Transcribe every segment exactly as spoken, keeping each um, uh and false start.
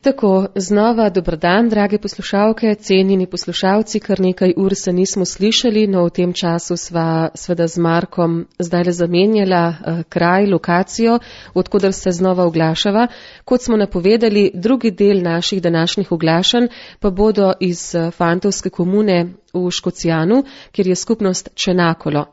Tako, znova dober dan, drage poslušalke, cenjeni poslušalci, kar nekaj ur se nismo slišali, no v tem času sva sveda z Markom zdaj le zamenjala eh, kraj, lokacijo, odkudar se znova oglašava. Kot smo napovedali, drugi del naših današnjih oglašanj pa bodo iz eh, fantovske komune v Škocijanu, kjer je skupnost Čenakolo.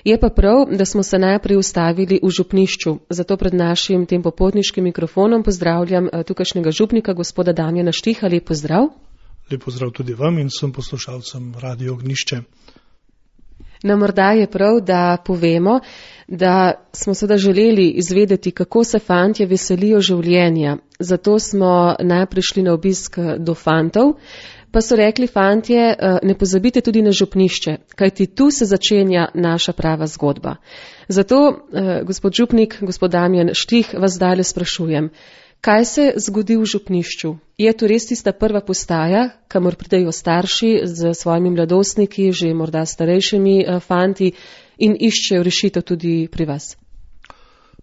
Je pa prav, da smo se najprej ustavili v župnišču, zato pred našim tem popotniškim mikrofonom pozdravljam tukajšnjega župnika, gospoda Damjana Štiha. Lep pozdrav. Lep pozdrav tudi vam in vsem poslušalcem Radio Ognjišče. No, morda je prav, da povemo, da smo seveda želeli izvedeti, kako se fantje veselijo življenja. Zato smo najprej šli na obisk do fantov. Pa so rekli fantje, ne pozabite tudi na župnišče, kajti tu se začenja naša prava zgodba. Zato, gospod župnik, gospod Damjan Štih, vas zdaj sprašujem, kaj se zgodi v župnišču? Je to res tista prva postaja, kamor pridejo starši z svojimi mladostniki, že morda starejšimi fanti in iščejo rešitev tudi pri vas?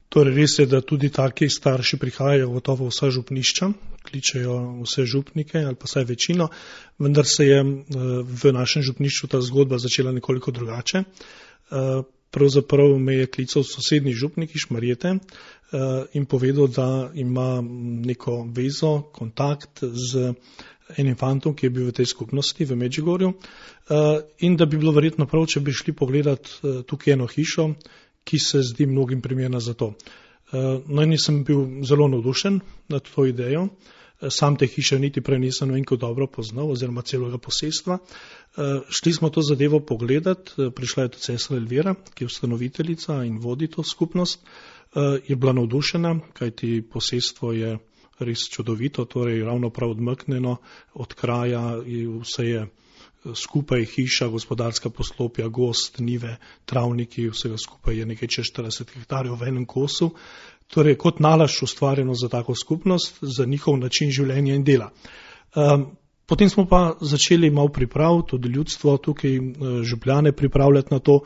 Torej res je, da tudi taki starši prihajajo gotovo vsa župnišča, kličejo vse župnike ali pa vsaj večino, vendar se je v našem župnišču ta zgodba začela nekoliko drugače. Pravzaprav me je klical sosednji župnik iz Šmarjete in povedal, da ima neko vezo, kontakt z enim fantom, ki je bil v tej skupnosti v Medžugorju in da bi bilo verjetno prav, če bi šli pogledat tukaj eno hišo, ki se zdi mnogim primerna za to. No in sem bil zelo navdušen nad to idejo. Sam te hiše niti prej nisem enko dobro poznal oziroma celega posestva. Šli smo to zadevo pogledat, prišla je tudi sestra Elvira, ki je ustanoviteljica in vodi to skupnost. Je bila navdušena, kajti posestvo je res čudovito, torej ravno prav odmaknjeno od kraja, vse je skupaj hiša, gospodarska poslopja, gost, nive, travniki, vsega skupaj je nekaj čez štirideset hektarjev v enem kosu. Torej, kot nalašč ustvarjeno za tako skupnost, za njihov način življenja in dela. Potem smo pa začeli malo priprav, tudi ljudstvo tukaj župljane pripravljati na to.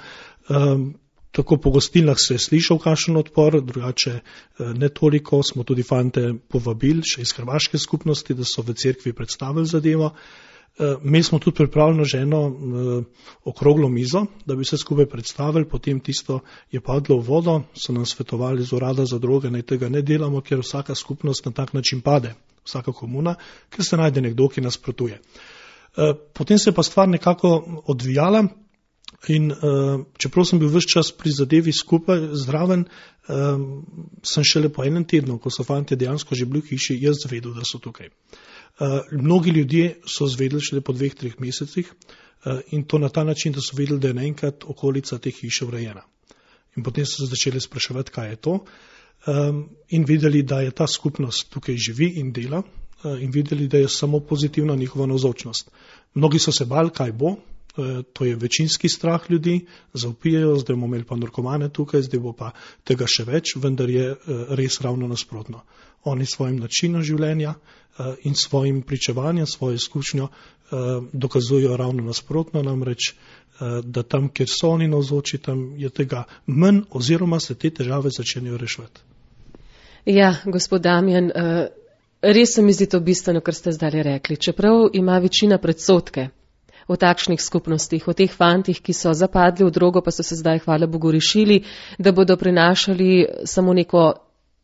Tako po gostilnah se je slišal kakšen odpor, drugače ne toliko, smo tudi fante povabili, še iz hrvaške skupnosti, da so v cerkvi predstavili zadevo. Mi smo tudi pripravljeno že eno okroglo mizo, da bi se skupaj predstavili, potem tisto je padlo v vodo, so nam svetovali z urada za droge, naj tega ne delamo, ker vsaka skupnost na tak način pade, vsaka komuna, ker se najde nekdo, ki nasprotuje. Potem se je pa stvar nekako odvijala in čeprav sem bil ves čas pri zadevi skupaj, zdraven, sem šele po enem tednu, ko so fantje dejansko že bili v hiši, jaz zvedel, da so tukaj. Uh, mnogi ljudje so zvedeli šele po dveh, treh mesecih uh, in to na ta način, da so vedeli, da je naenkrat okolica te hiše urejena. In potem so se začeli spraševati, kaj je to um, in videli, da je ta skupnost tukaj živi in dela uh, in videli, da je samo pozitivna njihova navzočnost. Mnogi so se bali, kaj bo, uh, to je večinski strah ljudi, zaupijajo, zdaj bomo imeli pa narkomane tukaj, zdaj bo pa tega še več, vendar je uh, res ravno nasprotno. Oni svojim načinom življenja uh, in svojim pričevanjem, svojo izkušnjo uh, dokazujo ravno nasprotno, namreč, uh, da tam, kjer so oni navzoči, tam je tega manj oziroma se te težave začenjajo reševati. Ja, gospod Damjan, uh, res se mi zdi to bistveno, kar ste zdaj rekli. Čeprav ima večina predsodke o takšnih skupnostih, o teh fantih, ki so zapadli v drogo, pa so se zdaj, hvala Bogu, rešili, da bodo prinašali samo neko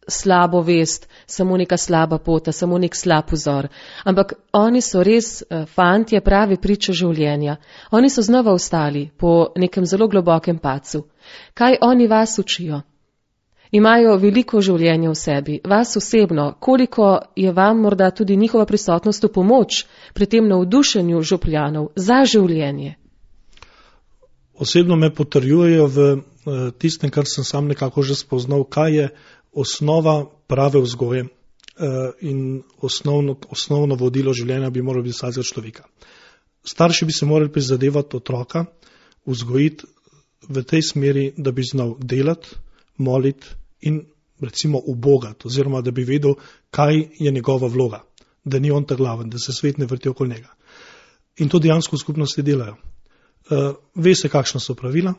slabo vest, samo neka slaba pota, samo nek slab vzor. Ampak oni so res fantje, pravi priče življenja. Oni so znova vstali po nekem zelo globokem padcu. Kaj oni vas učijo? Imajo veliko življenja v sebi. Vas osebno, koliko je vam morda tudi njihova prisotnost v pomoč pri tem navdušenju župljanov za življenje? Osebno me potrjujejo v tistem, kar sem sam nekako že spoznal, kaj je osnova prave vzgoje in osnovno, osnovno vodilo življenja bi moralo biti vsakega človeka. Starši bi se morali prizadevati otroka, vzgojiti v tej smeri, da bi znal delati, moliti in recimo ubogati, oziroma da bi vedel, kaj je njegova vloga, da ni on ta glaven, da se svet ne vrti okoli njega. In to dejansko v skupnosti delajo. Ve se, kakšna so pravila,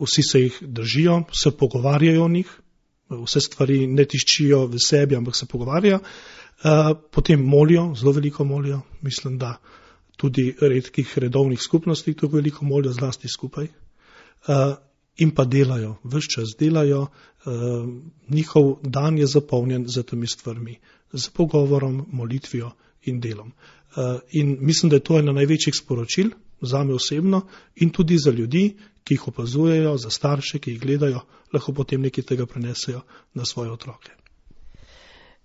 vsi se jih držijo, se pogovarjajo o njih, vse stvari ne tiščijo v sebi, ampak se pogovarjajo Potem molijo, zelo veliko molijo, mislim, da tudi redkih redovnih skupnosti tako veliko molijo, zlasti skupaj. In pa delajo, ves čas delajo, njihov dan je zapolnjen z temi stvarmi, z pogovorom, molitvijo in delom. In mislim, da je to eno največjih sporočil zame osebno in tudi za ljudi, ki jih opazujejo, za starše, ki jih gledajo, lahko potem nekaj tega prenesejo na svoje otroke.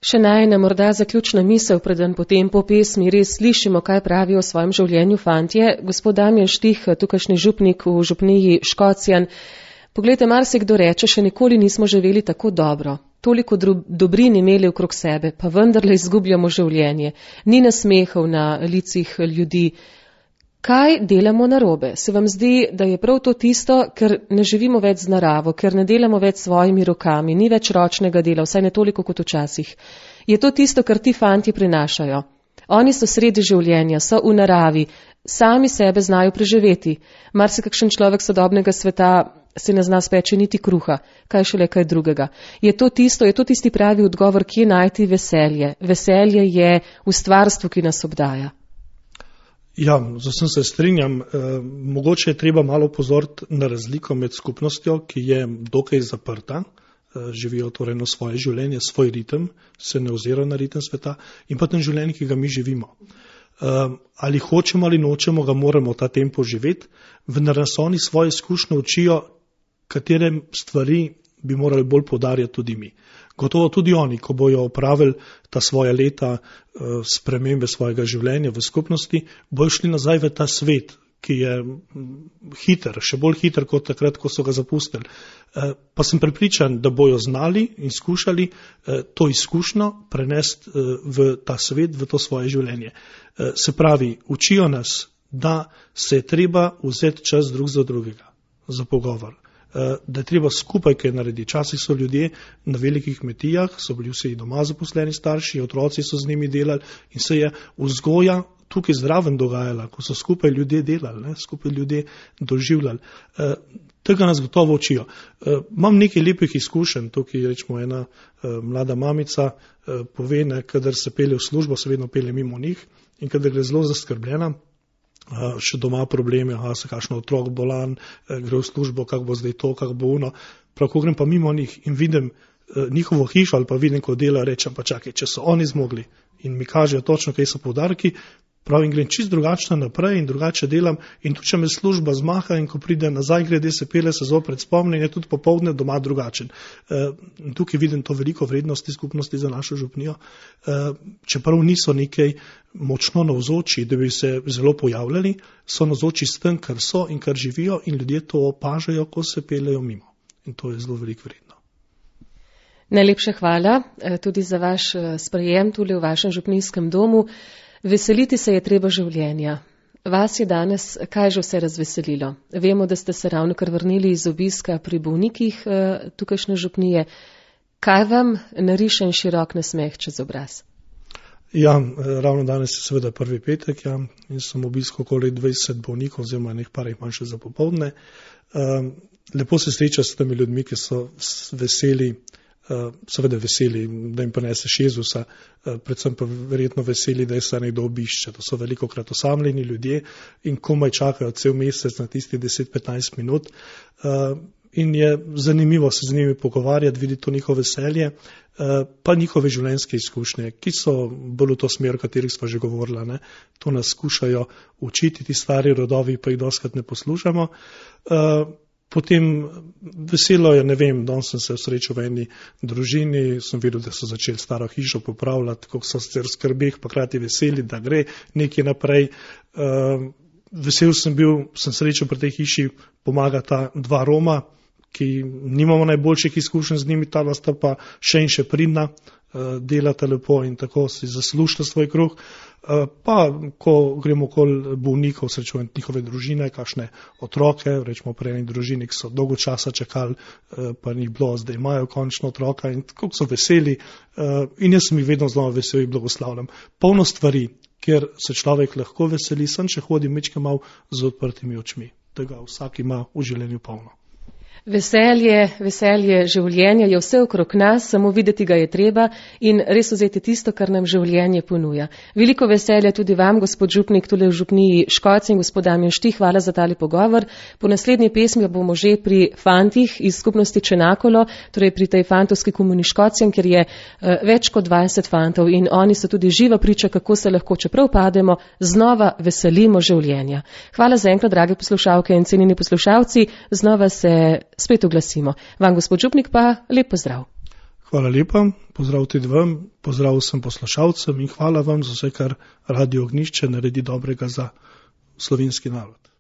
Še najna morda zaključna misel, preden potem po pesmi res slišimo, kaj pravijo o svojem življenju fantje. Gospod Damjan Štih, tukajšnji župnik v župniji Škocjan, poglejte, marsikdo reče, še nikoli nismo živeli tako dobro. Toliko dobrin imeli okrog sebe, pa vendarle izgubljamo življenje. Ni nasmehov na licih ljudi. Kaj delamo narobe? Se vam zdi, da je prav to tisto, ker ne živimo več z naravo, ker ne delamo več s svojimi rokami, ni več ročnega dela, vsaj ne toliko kot včasih. Je to tisto, kar ti fantje prinašajo? Oni so sredi življenja, so v naravi, sami sebe znajo preživeti. Marsikakšen človek sodobnega sveta se ne zna speči niti kruha, kaj šele kaj drugega. Je to tisto, je to tisti pravi odgovor, kje najti veselje? Veselje je v stvarstvu, ki nas obdaja. Ja, z vsem se strinjam. E, mogoče je treba malo pozoriti na razliko med skupnostjo, ki je dokaj zaprta, e, živijo torej na svoje življenje, svoj ritem, se ne ozira na ritem sveta, in pa tem življenje, ki ga mi živimo. E, ali hočemo ali nočemo, ga moramo ta tempo živeti, vendar nas oni svoje izkušnje učijo, katere stvari bi morali bolj poudarjati tudi mi. Gotovo tudi oni, ko bojo opravili ta svoja leta spremembe svojega življenja v skupnosti, bojo šli nazaj v ta svet, ki je hiter, še bolj hiter kot takrat, ko so ga zapustili. Pa sem prepričan, da bojo znali in skušali to izkušnjo prenesti v ta svet, v to svoje življenje. Se pravi, učijo nas, da se je treba vzeti čas drug za drugega, za pogovor. Da je treba skupaj kaj narediti. Včasih so ljudje na velikih kmetijah, so bili vsi doma zaposleni starši, otroci so z njimi delali in se je vzgoja tukaj zraven dogajala, ko so skupaj ljudje delali, ne, skupaj ljudje doživljali. E, tega nas gotovo učijo. E, imam nekaj lepih izkušenj, tukaj rečemo ena e, mlada mamica e, pove, ne, kadar se pelje v službo, se vedno pelje mimo njih in kadar gre zelo zaskrbljena, Uh, še doma probleme, aha, se kakšno otrok bolan, uh, gre v službo, kak bo zdaj to, kak bo uno. Prav, ko grem pa mimo njih in vidim uh, njihovo hišo ali pa vidim, ko dela, rečem pa čakaj, če so oni zmogli in mi kažejo točno, kaj so poudarki, prav in grem čist drugačno naprej in drugače delam in tudi, če me služba zmaha in ko pride nazaj, grede se pele, se zopret spomne in je tudi popoldne doma drugačen. Uh, tukaj vidim to veliko vrednosti skupnosti za našo župnijo, uh, čeprav niso nekaj močno navzoči, da bi se zelo pojavljali, so navzoči s tem, kar so in kar živijo in ljudje to opažajo, ko se peljejo mimo. In to je zelo veliko vredno. Najlepša hvala tudi za vaš sprejem tule v vašem župnijskem domu. Veseliti se je treba življenja. Vas je danes kaj že vse razveselilo? Vemo, da ste se ravno kar vrnili iz obiska pri bolnikih tukajšnje župnije. Kaj vam nariše širok nasmeh čez obraz? Ja, ravno danes je seveda prvi petek, ja, in sem obiskal okoli dvajset bolnikov, oziroma nekaj par jih manj še za popoldne. Um, lepo se sreča s temi ljudmi, ki so veseli, uh, seveda veseli, da jim prinese Jezusa, uh, predvsem pa verjetno veseli, da je se nekdo obišče. To so velikokrat osamljeni ljudje in komaj čakajo cel mesec na tisti deset do petnajst minut. Uh, In je zanimivo se z njimi pogovarjati, videti to njihovo veselje, pa njihove življenjske izkušnje, ki so bolj v to smer, o katerih smo že govorili. Ne? To nas skušajo učiti, ti stari rodovi, pa jih doskrat ne poslušamo. Potem veselo je, ne vem, danes sem se srečal v eni družini, sem videl, da so začeli staro hišo popravljati, kako so se v skrbeh, pa krati veseli, da gre nekaj naprej. Vesel sem bil, sem srečal pri tej hiši, pomagata dva Roma, ki nimamo najboljših izkušenj z njimi, ta sta pa še in še pridna, delata lepo in tako si zaslužite svoj kruh. Pa, ko gremo okoli bolnikov, srečujem njihove družine, kakšne otroke, rečemo pri eni družini, ki so dolgo časa čakali, pa njih bilo, zdaj imajo končno otroka in kako so veseli. In jaz sem jih vedno znova vesel in blagoslavljam. Polno stvari, kjer se človek lahko veseli, sem če hodi mečke malo z odprtimi očmi. Tega vsak ima v življenju polno. Veselje, veselje življenja je vse okrog nas, samo videti ga je treba in res vzeti tisto, kar nam življenje ponuja. Veliko veselja tudi vam, gospod župnik, tule v župniji Škocje in gospod Damjan Štih, hvala za tale pogovor. Po naslednji pesmi bomo že pri fantih iz skupnosti Čenakolo, torej pri tej fantovski komuni Škocjem, ker je uh, več kot dvajset fantov in oni so tudi živa priča, kako se lahko, čeprav pademo, znova veselimo življenja. Hvala za enkrat, drage poslušalke in cenjeni poslušalci, znova se spet oglasimo. Vam, gospod župnik, pa lep pozdrav. Hvala lepa, pozdrav tudi vam, pozdrav vsem poslušalcem in hvala vam za vse, kar Radio Ognjišče naredi dobrega za slovenski narod.